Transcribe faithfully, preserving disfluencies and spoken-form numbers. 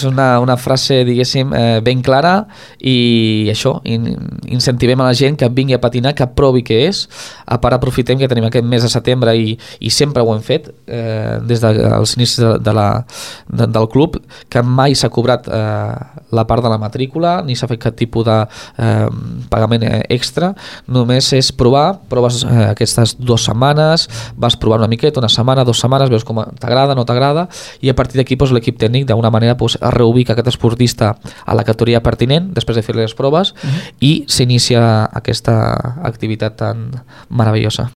és una, una frase, diguéssim, eh, ben clara i això, in, incentivem a la gent que vingui a patinar, que provi què és. A part, aprofitem que tenim aquest mes de setembre i, i sempre ho hem fet eh, des dels inicis de, de la, de, del club, que mai s'ha cobrat eh, la part de la matrícula ni s'ha fet cap tipus de eh, pagament extra, només és provar, proves eh, aquestes dues setmanes, vas provar una miqueta, una setmana, dues setmanes, veus com t'agrada, no t'agrada, i a partir d'aquí doncs, l'equip tècnic d'alguna manera doncs, reubica aquest esportista a la categoria pertinent després de fer les proves uh-huh. i s'inicia aquesta activitat tan meravellosa.